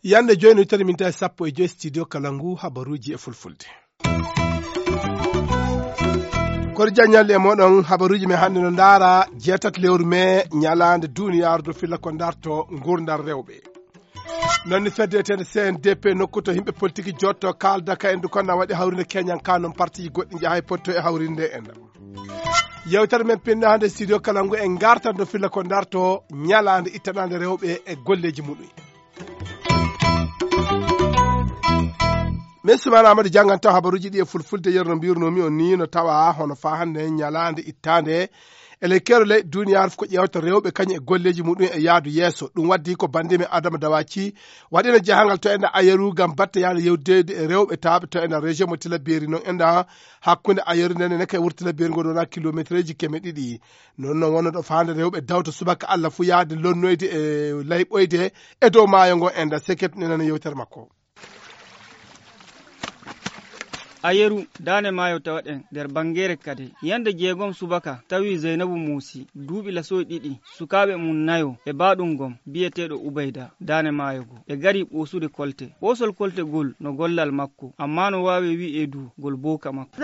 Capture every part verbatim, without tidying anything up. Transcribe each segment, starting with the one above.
Yande jooni tati minti sappo e joy, studio Kalangu, habaruuji e fulfulde. Kori jaññalɗi e moɗon, habaruuji men hannde no ndaara jeetati lewru mee, ñalaande duniyaaru do filla ko darto ngurdam rewɓe. Noon ne fedde etende C N D P nokku to yimɓe politique jotto kaalda ka en du konna waɗi hawrinde keñan ka noon parti goɗɗi njahay potto e hawrinde en. Yewtere men pinnaande studio Kalangu en gartan do filla ko darto ñalaande ittanaande rewɓe e golleeji muɗum. Min Sumana Amadu jannganto habaruuji ɗi e fulfulde, yerno mbirnoomi on ni no tawa hono faa hannde ñalaande ittaande e lekkere ley duniyaaru fof ko ƴeewta rewɓe kañum e golleeji muɗum e yaadu yeeso. Ɗum waddi ko banndimi Adama Dawaci waɗino jahangal to enda Ayeru ngam batte yaade yewdeede e rewɓe taaɓe to enda région mo Tilaberi noon enda hakkunde Ayeru nden e neke wuro Tilaberi ngon wona kilometereeji keme ɗiɗi. Noon noon wonno ɗo faande rewɓe dawta subaka Allah fuu yaade lonnoyde e layɓoyde e dow maayo ngo enda. Seket nenana yewtere makko. Ayeru, daande maayo tawaɗen nder Bangere kadi. Yande jeegom subaka, tawi Zeynabu Muusi, duuɓi lasoy ɗiɗi, sukaaɓe mum nayo e baaɗum gom, biyeteeɗo Ubayda, daande maayo go. Ɓe gari ɓoosude kolte. Ɓoosol kolte gol no gollal makko, ammaa no waawe wi'e du gol booka makko.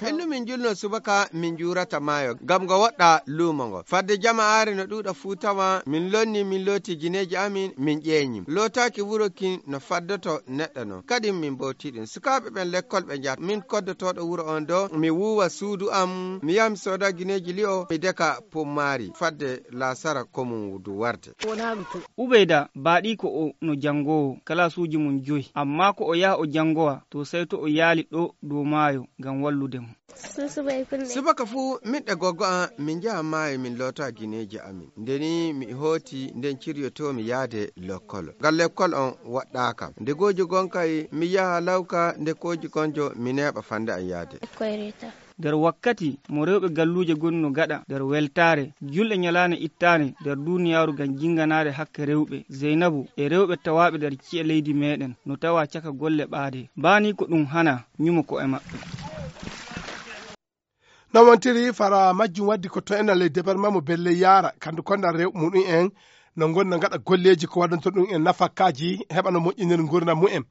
Innu min julno subaka, min juurata maayo, ngam ngo woɗɗa luumo ngo. Fadde jamaare no ɗuuɗa fuu tawa, min lonni, min looti gineeji amin, min ƴeeñi. Lootaaki wuro kin no faddoto neɗɗo non. Kadi min mbowti ɗum. Sukaaɓe ɓen lekkol ɓe njahata. Min koddotooɗo wuro on do, mi wuuwa suudu am, mi yaha mi sooda gineeji li'o, mi deka pummaari. Fadde laasara ko mum du warde. Ubeyda, baaɗiiko o no janngoowo, kalaasuuji mum joyi. Ammaa ko o yaha o janngowa, to sey to o yaali ɗo dow maayo ngam wallude mo. Subaka fuu, min e gogo am, min njaha maayo, min loota gineeji amin. Nde ni mi hooti, nden ciryotoo mi yaade lekkol. Ngal lekkol on waɗɗaaka. Nde gooji gon kay, mi yaha lawka, nde gooji gonjo, mi neeɓa fande am yaade. Nder wakkati mo rewɓe galluuje goni no gaɗa nder weltaare, julɗe ñalaande ittaande nder duniyaaru ngam jinnganaade hakke rewɓe, Zeynabu e rewɓe tawaaɓe nder ci'e leydi meeɗen no tawa caka golle ɓaade. Baa ni ko ɗum hana ñumo ko'e maɓɓe. No wontiri fara majjum waddi ko to enal e département mo Belle Yara, kandu konda rewɓe muɗum en, no ngonna ngaɗa golleeji ko waɗanto ɗum en nafakaaji, heɓa no moƴƴinir ngurndan mumen.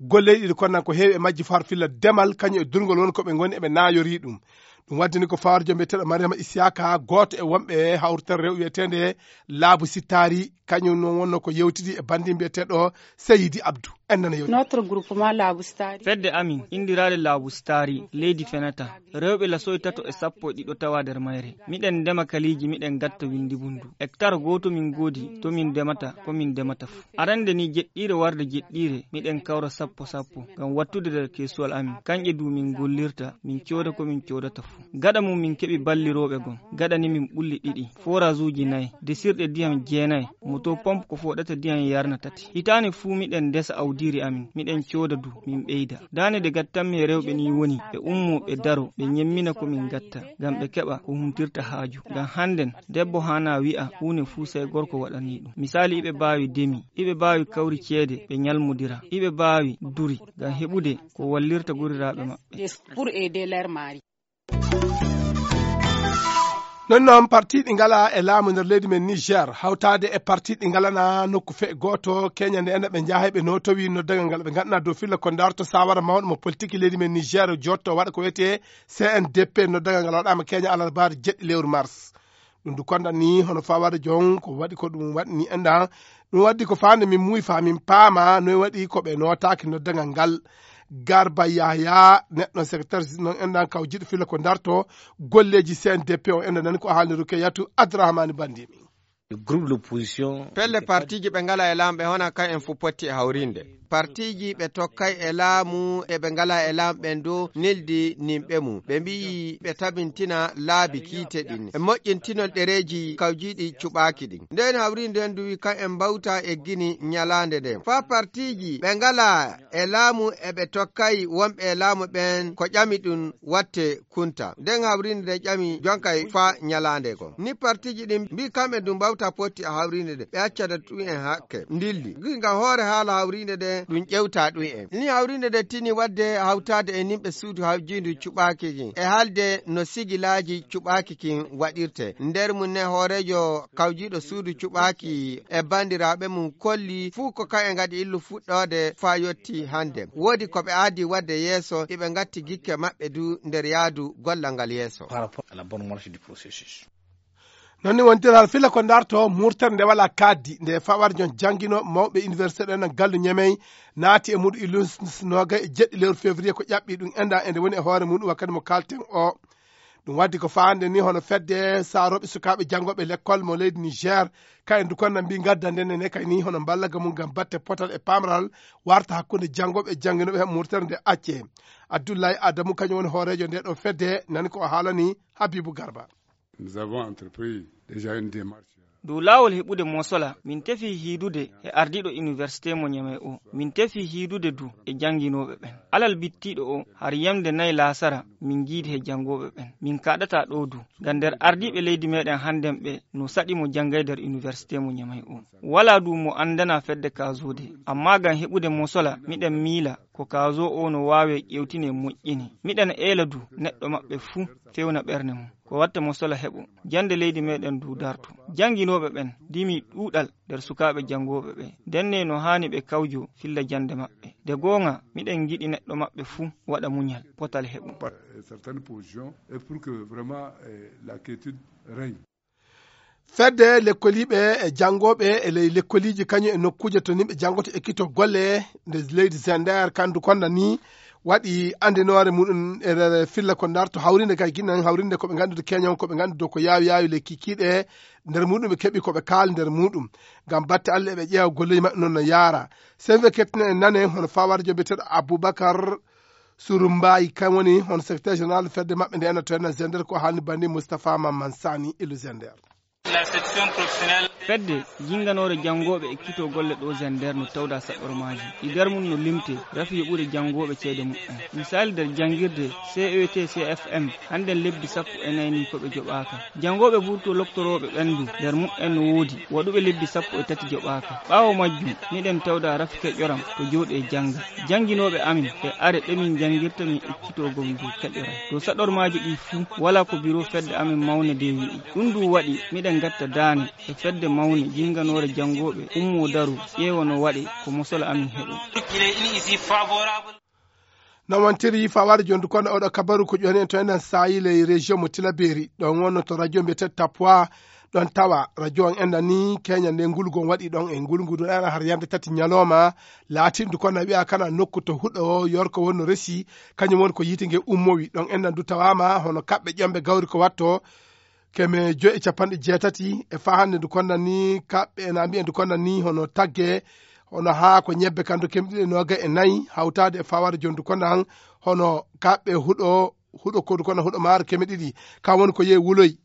Golleeji ɗiɗi konnan ko heewi e majji far filla demal, kañum e durngol won ko ɓe ngoni eɓe naayori ɗum. Ɗum waddini ko fawarjo mbiyeteeɗo Mariama Isiyaka, gooto e wonɓe hawritere rewɓe wiyeteende Laabu Sittaari, kañum noon wonno ko yewtidi e banndi mbiyeteeɗo Seyidi Abdu. En nana yewti. Notre groupement Laabu Sittaari. Fedde amin, inndiraaɗe Laabu Sittaari, leydi fenata. Rewɓe lasoy tato e sappo e ɗiɗo tawa nder mayre. Miɗen ndema kaliiji, miɗen gatta winndi bundu. Hectare gooto min ngoodi, to min ndemata, ko min ndemata fu. Arande ni jeɗɗiire warde jeɗɗiire, miɗen kawra sappo sappo, ngam wattude nder keesuwal amin. Kanƴe du min ngollirta, min cooda ko min coodata fu. Gaɗa mum min keɓi ballirooɓe gom. Gaɗa ni min ɓulli ɗiɗi, forage uji nayi, desirɗe diyam jeenayi, moto pompe ko foɗata diyam yarna tati. Hitaande fuu miɗen ndesa awdiiri amin, miɗen cooda du, min ɓeyda. Daande nde gattanmi e rewɓe ni woni, ɓe ummo, ɓe daro, ɓe ñemmina ko min gatta, ngam ɓe keɓa ko humtirta haaju. Ngam hannden, debbo haana wi'a huunde fuu sey gorko waɗani ɗum. Misaali, iɓe baawi demi, iɓe baawi kawri ceede, ɓe ñalmodira, iɓe baawi duri, ngam heɓude ko wallirta goriraaɓe maɓɓe. Pour aider leur mari. Non noon, parti ɗi ngala e laamu nder leydi men Niger, hawtaade e parti ɗi ngalana nokku fe gooto, keñande en ɓe njahay ɓe no tawi noddagal ngal ɓe ngannduɗaa dow filla ko darto sawara mawɗo mo politique leydi men Niger jotto waɗa ko wiyetee C N D P, noddagal ngal waɗaama keña alarbaare jeɗɗi lewru mars. Ɗum du konda ni hono fawaade jon ko waɗi ko ɗum waɗni enɗan. Ɗum waddi ko faande min muuyi faa min paama noy waɗi ko ɓe nootaaki noddagal ngal. Garba Yahya, neɗɗo secrétaire non enɗan kawjiɗo filla ko darto golleeji C N D P o enɗan nani ko haalni Rukeyatu Abdourahmane Bandimi. Groupe l'opposition. Pelle partiiji ɓe ngala e laamu ɓe hona kan en fu potti e hawrinde. Partiiji ɓe tokkay e laamu e ɓe ngala e laamu ɓen dow neldi nimɓe mum. Ɓe mbi'i ɓe tabintina laabi kiite ɗin. E moƴƴintinol ɗereeji kawjiiɗi cuɓaaki ɗin. Nden hawrinde nden duwi kan en mbawta e gini ñalaande nden. Faa partiiji ɓe ngala e laamu e ɓe tokkay wonɓe e laamu ɓen ko ƴami ɗum watte kunta. Nden hawrinde nden ƴami jonkay faa ñalaande kon. Ni partiiji ɗin mbi'i kamɓe ɗum mbawta Tappotti e hawriinde nde, ɓe accata ɗum en hakke. Ndilli. Giga hoore haala hawriinde nde, ɗum ƴewta ɗum en. Ni hawriinde nde tini waɗde hawtaade e nimɓe suudu hawjiindu cuɓaaki kin. E haalde no sigilaaji cuɓaaki kin waɗirte. Nder mum ne hooreejo kawjiiɗo suudu cuɓaaki e banndiraaɓe mum kolli fuu ko kayen ngadi illu fuɗɗoode faa yotti hannde. Woodi ko ɓe aadi waɗde yeeso, iɓe ngatti gikke maɓɓe du nder yaadu gollal ngal yeeso. Par rapport à la bonne marche du processus. Noon ni wontirhal fila ko darto murtere nde wala kaddi nde fawar jon jangino mawɓe université ɗen gallu ñemey naati e muɗum ilus noga e jeɗɗi lewru février ko ƴaɓɓi ɗum enda ende woni e hoore muɗum wakkati mo kalten o. Ɗum waddi ko faande ni hono fedde saroɓe sukaɓe janngoɓe l'école mo leydi Niger, kayen du konna mbi gadda nden ne kay ni hono mballaga mum ngam batte potal e pamral warta hakkunde janngoɓe e jannginoɓe he murtere nde acce. Abdoulaye Adamu kañum woni hoorejo nde ɗo fedde, nani ko o haalani Habibou Garba. Nous avons entrepris déjà une démarche. Dow laawol heɓude mosola, min tefi hiidude e ardiiɗo université mo Ñamey o. Min tefi hiidude du e jannginooɓe ɓen. Alal bittiiɗo o, har yamde nayi laasara, min njiidi he janngooɓe ɓen. Min kaɗataa ɗoo du. Ngam nder ardiiɓe leydi meɗen hannden ɓe, no saɗi mo janngay nder université mo Ñamey o. Walaa du mo anndana fedde kaazode. Ammaa ngam heɓude mosola, miɗen miila ko kaazo o no waawee ƴewtine moƴƴini. Miɗen eela du neɗɗo maɓɓe fuu fewna ɓernde mum. Ko watta mo sola heɓo. Jannde leydi meɗen du darto. Jannginooɓe ɓen dimi ɗuuɗal nder sukaaɓe janngooɓe ɓe. Ndenne no haani ɓe kawjo filla jannde maɓɓe. Nde goonga, miɗen ngiɗi neɗɗo maɓɓe fuu waɗa muñal, potal heɓo. Certaines positions et pour que vraiment, eh, la quiétude règne. Fedde lekkoliiɓe e janngooɓe e ley lekkoliiji kañum e nokkuuje to nimɓe janngoto e ekkito golle nde leydi Zender kandu konna ni waɗi anndinoore muɗum e filla ko darto hawrinde kay ginan hawrinde ko ɓe nganndude keñan ko ɓe nganndude ko yaawi yaawi le kikiiɗe nder muɗum ɓe keɓi ko ɓe kaali nder muɗum ngam batte Allah eɓe ƴeewa golleeji maɓɓe noon no yaara. Sey ɓe kettine en nane hono fawarjo biyeteeɗo Aboubacar Suru Mbaye kam woni hono secrétaire général fedde maɓɓe nde ena to ena Zender ko haalni bandi Moustapha Mamman Sani ilu Zender. Fedde jinnganoore janngooɓe ekkito golle ɗo Zender no tawda saɗormaaji ɗi nder mum no limte rafi yoɓude janngooɓe ceede muɓɓen. Misali nder janngirde C E T C F M hannden lebbi sappo e nayi ni ko ɓe joɓaaka. Janngooɓe burto loktorooɓe ɓen du nder muɓɓen no woodi waɗuɓe lebbi sappo e tati joɓaaka. Ɓaawo majjum miɗen tawda rafi keƴoram to jooɗi e jannga. Jannginooɓe amin e are ɗe min janngirta min ekkitoo gom du keƴoram. To saɗormaaji ɗi fuu walaa ko biro fedde amin mawnde de wi'i. Ɗum du waɗi miɗen ngatta daane e fedde mawnde jinnganoore janngooɓe ummoo daro ƴeewa no waɗe ko mosola amin heɓo. No wantiri fawaade jondu kono oɗo kabaru ko ƴoni en to enen saayi ley région mo Tilaberi. Ɗon wonno to radio mbiyete Tapwa. Ɗon tawa radio on enɗan ni keña nde ngulgu on waɗi ɗon e ngulngu ɗum ɗana har yande tati ñalawma. Laatindu kono wi'a kana nokku to huɗo yorko wonno resi kañum woni ko yiite nge ummowi ɗon enɗan du tawama hono kaɓɓe ƴomɓe gawri ko watto keme joyi e capanɗe jeetati e faa hannde ndu konnan ni kaɓɓe ena mbiya ndu konnan ni hono tagge hono haa ko ñebbe kan do keme ɗiɗi e noogay e nayi hawtaade e fawaade jondu konnan hono kaɓɓe huɗo huɗo kodu kono huɗo maaro keme ɗiɗi kan woni ko yehi wuloy.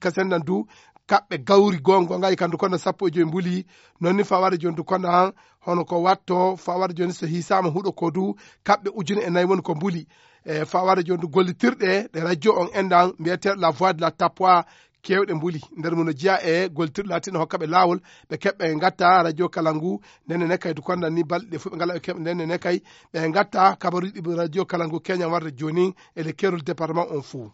Kasennan du kaɓɓe gawri gongo ngay kandu kono sappo e joyi mbuli. Non ni fawaade jondu konnan hono ko watto fawaade joni so hisaama huɗo kodu kaɓɓe ujune e nayi woni ko mbuli. E fawaade jondu gollitirɗe ɗe radio on enɗan mbiyete la voix de la tapwa kewɗe mbuli nder mum no jeya e gollitirɗe latinɗe hokkaɓe lawol ɓe keɓɓe ngatta radio kala ngu. Ndenne ne kay du konnan ni balɗe ɗe fof ɓe ngala ɓe keɓɓe ndenne ne kay ɓe ngatta kabaruji ɗi radio kala ngu keñan warde joni e le kerol département on fou.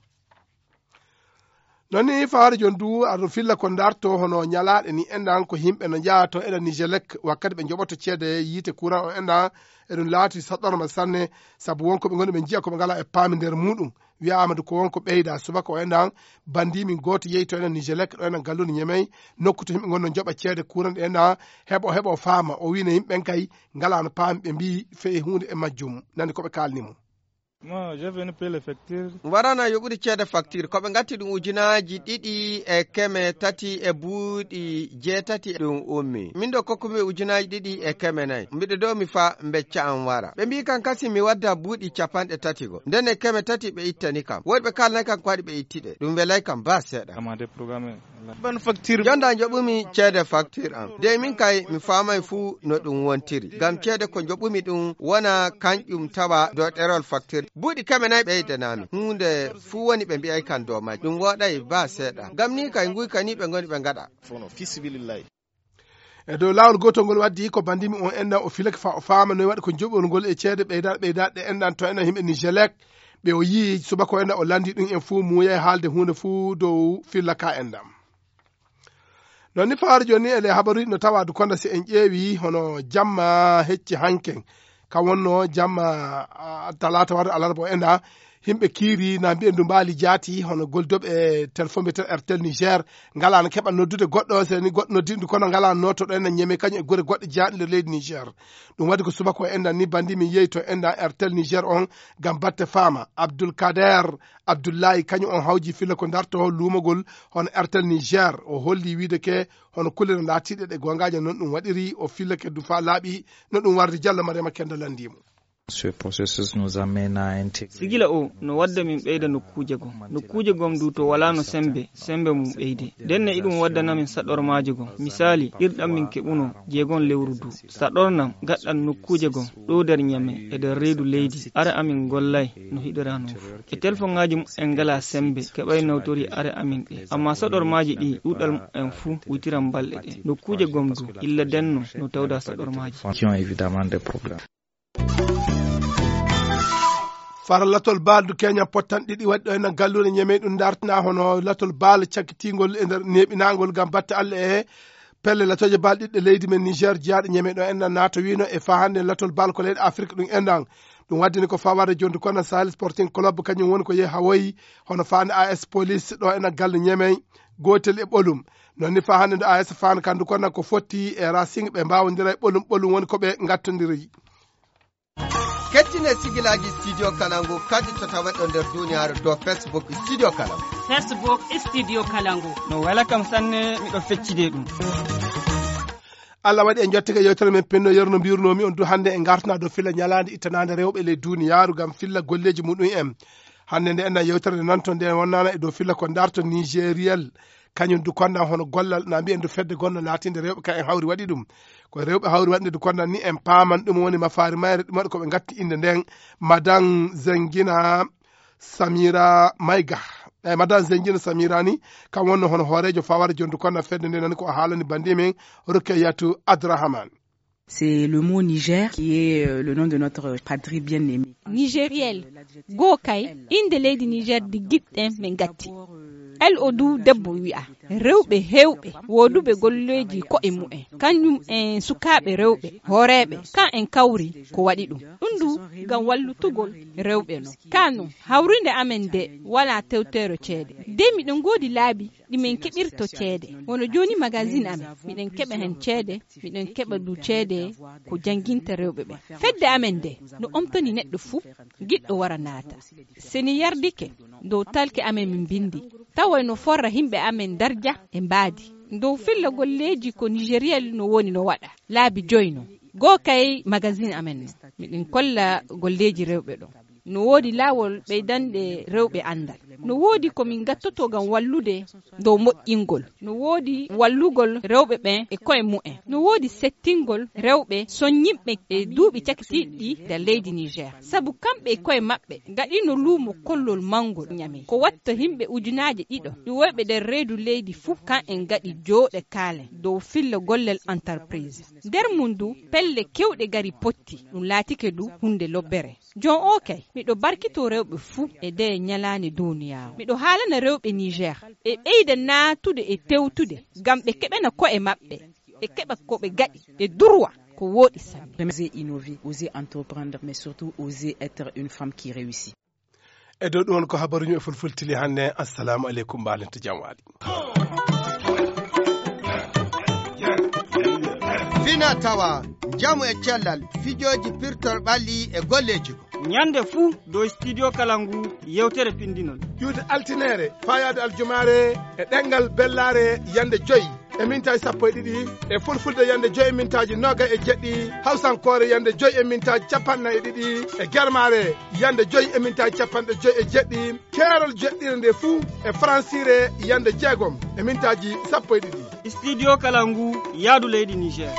Non ni fawaade jon du aɗo filla ko darto hono ñalaaɗe ni enɗan ko yimɓe no njaha to eɗen nigelec wakkati ɓe njoɓoto ceede yiite courant o enɗan. Eɗum laati saɗɗorma sanne sabu wonko ɓe ngoni ɓe njiya ko ɓe ngala e paami nder muɗum. Wiyaama du ko wonko ɓeyda subaka o enɗan bandi min gooto yehi to eɗen nigelec ɗo eɗen gallude ñemey nokku to yimɓe ngonno njoɓa ceede courant ɗe enɗan heɓo heɓo faama o wiino yimɓe ɓen kay ngalano paami ɓe mbi feye hunde e majjum nani ko ɓe kalni mo. Warana yoɓude ceede facture ko ɓe gatti ɗum ujunaaji ɗiɗi e keme tati e buuɗi jeetati ɗum ummi min ɗo kokkumi ujunaaji ɗiɗi e keme nayi mbiɗo ɗo mi fa becca am wara ɓe mbi kam kasi mi wadda buuɗi capanɗe tati go nden e keme tati ɓe ittani kam woɗɓe kalnay kam ko waɗi ɓe itti ɗe ɗum welay kam ba seeɗa. Ban facture. Jonda joɓumi ceede facture am de min kay mi faamay fuu no ɗum wontiri ngam ceede ko joɓumi ɗum wona kanƴum tawa dow ɗerol facture. Buuɗi keme nayi ɓeydanaami. Huunde fuu woni ɓe mbi'ay kan dow majji. Ɗum wooɗay baa seeɗa. Ngam nii kay nguykanii ɓe ngoni ɓe ngaɗa. E dow laawol gootol ngol waddi ko bandimi on enɗan o filake faa o faama noy waɗi ko joɓol ngol e ceede ɓeydaaɗe ɓeydaaɗe ɗe enɗan to enɗan yimɓe Nijelek. Ɓe o yii subaka o enɗan o lanndii ɗum en fuu muuyay haalde huunde fuu dow filla ka enɗan. Non ni fawaade jooni e le habaruuji no tawa du konda si en ƴeewi hono jamma hecci hanken. Ka wonno jamma, ah, talaata warde alarba o enɗan, himɓe kiiri na mbi'en du mbaali jaati hono goldoɓe e téléphone mbiyeten Airtel Niger, ngalaano keɓal noddude goɗɗo, se ni goɗɗo noddi ɗum kono ngalaano nooto ɗo enɗan Ñeme kañum e gure goɗɗe jeyaaɗe nder leydi Niger. Ɗum waɗi ko subaka o enɗan ni bandi min yehi to enɗan Airtel Niger on ngam batte faama. Abdoul Kader Abdoulaye kañum on hawji filla ko darto luumogol hono Airtel Niger. O holli wiide ke hono kullere laatiiɗe ɗe goongaaje non ɗum waɗiri, o fillake du faa laaɓi no ɗum wardi. Jallo Mariama Kenda lanndii mo. Ce processus nous amène à intégrer. Sigila o no wadda min ɓeyda nokkuuje gom. Nokkuuje gom du to walaa no sembe, sembe mum ɓeyde. Nden ne iɗum waddana min saɗormaaje gom. Misaali, ɗirɗam min keɓuno jeegom lewru du. Saɗornam gaɗɗan nokkuuje gom, ɗo nder Ñame e nder reedu leydi, are amin gollay no hiɗiraa non fu. E telfoŋaaji mum en ngalaa sembe, keɓay nawtori are amin ɗe. Ammaa saɗormaaji ɗi ɗuuɗal mum en fuu witiran balɗe ɗe. Nokkuuje gom du, illa denno no tawda saɗormaaji. Qui ont évidemment des problèmes. Fara latol baaldu keñan pottan ɗiɗi waɗi ɗo ena galluure Ñeme ɗum dartina hono latol baal cakkitingol e nder neeɓinaangol ngam batte Allah e pelle latooje baal ɗiɗɗe leydi men Niger jeyaaɗe Ñeme ɗo enɗan naata wiino e faa hannde latol baal ko leyɗe Afrik ɗum enɗan. Ɗum waddini ko fawaade jondu kono Sahel Sporting Club kañum woni ko yehi hawoyi hono faande A S Police ɗo ena galle Ñeme gootel e ɓolum. Non ni faa hannde ndo A S Fan kandu kono ko fotti e Racing ɓe mbaawondira e ɓolum ɓolum woni ko ɓe ngattondiri. Kettine sigilaaji Studio Kalangu kadi to taweɗo nder duniyaaru dow Facebook Studio Kalangu. Facebook Studio Kalangu. No wela kam sanne, miɗo feccide ɗum. Allah waɗi en jottike yewtere men penno yerno mbirnomi on du hannde en gartana dow filla ñalaande ittanaande rewɓe ley duniyaaru ngam filla golleeji muɗum en. Hannde nde enna yewtere nde nanto nde wonnana e dow filla ko darto Nigeriel. Kañum du kondan hono gollal na mbiyen du fedde gonno laatinde rewɓe ka en hawri waɗi ɗum. Ko rewɓe hawri waɗde du kondan ni en paaman ɗum woni mafaari mayre ɗum waɗi ko ɓe ngatti innde nden Madan Zengina Samira Mayga. Eyi Madan Zengina Samira ni kam wonno hono hooreejo fawaade jondu kondan fedde nde nani ko o haalani bandi men Rukeyatu Adrahaman. C'est le mot Niger qui est euh, le nom de notre patrie bien-aimée. Nigériel. Goo kay, innde leydi Niger ndi giɗɗen min ngatti. El o du debbo wi'a. Rewɓe heewɓe wooduɓe golleeji ko'e mu'en. Kañum en sukaaɓe rewɓe, hooreeɓe, kan en kawri ko waɗi ɗum. Ɗum du ngam wallutugol rewɓe non. Kaa non, hawrinde amen nde walaa tewteero ceede. De miɗen ngoodi laabi ɗi min keɓirto ceede. Wano jooni magazine amen, miɗen keɓa hen ceede, miɗen keɓa du ceede ko jannginta rewɓe ɓen. Fedde amen nde no omtani neɗɗo fuu giɗɗo wara naata. Se ni yardike, dow talke amen min mbinndi, taway no forra yimɓe amen darja e mbaadi. Dow filla golleeji ko Nigeriel no woni no waɗa. Laabi joy non. Goo kay magazine amen non. Miɗen kolla golleeji rewɓe ɗon. No woodi laawol ɓeydanɗe rewɓe anndal. No woodi ko min ngattoto ngam wallude dow moƴƴingol. No woodi wallugol rewɓe ɓen e ko'e mu'en. No woodi settingol rewɓe soññinɓe e duuɓi cakitiiɗi ɗi nder leydi Niger. Sabu kamɓe e ko'e maɓɓe ngaɗino luumo kollol mawngol Ñame. Ko watta yimɓe ujunaaje ɗiɗo iwoyɓe nder reedu leydi fuu kan en ngaɗi jooɗe kaalen dow filla gollel entreprise. Nder mum du pelle kewɗe gari potti. Ɗum laatike du huunde lobbere. Jon o kay, miɗo barkito rewɓe fuu e ndee ñalaande duniyaaru. Miɗo haalana rewɓe Niger, ɓe ɓeyda naatude e tewtude, ngam ɓe keɓana ko'e maɓɓe, ɓe keɓa ko ɓe gaɗi, ɓe durwa ko wooɗi sanne. Oser innover, oser entreprendre, mais surtout oser être une femme qui réussit. E dow ɗum won ko habaruuji e fulfulde tigi hannde. Assalamu aleykum, mbaalente jam waali. Fina tawa, njamu e cellal, fijooji pirtor ɓalli e golleeji. Ñande fuu dow Studio Kalangu yewtere pinndinol. Ƴuwde altineere, faayaade aljumaare e ɗemngal bellaare yande joy e mintaaji sappo e ɗiɗi, e fulfulde yande joy e mintaaji noogay e jeɗɗi, hawsankoore yande joy e mintaaji capanɗe nayi e ɗiɗi, e germaare yande joy e mintaaji capanɗe joy e jeɗɗi, keerol joɗɗire nde fuu e faransiire yande jeegom e mintaaji sappo e ɗiɗi. Studio Kalangu, yaadu leydi Niger.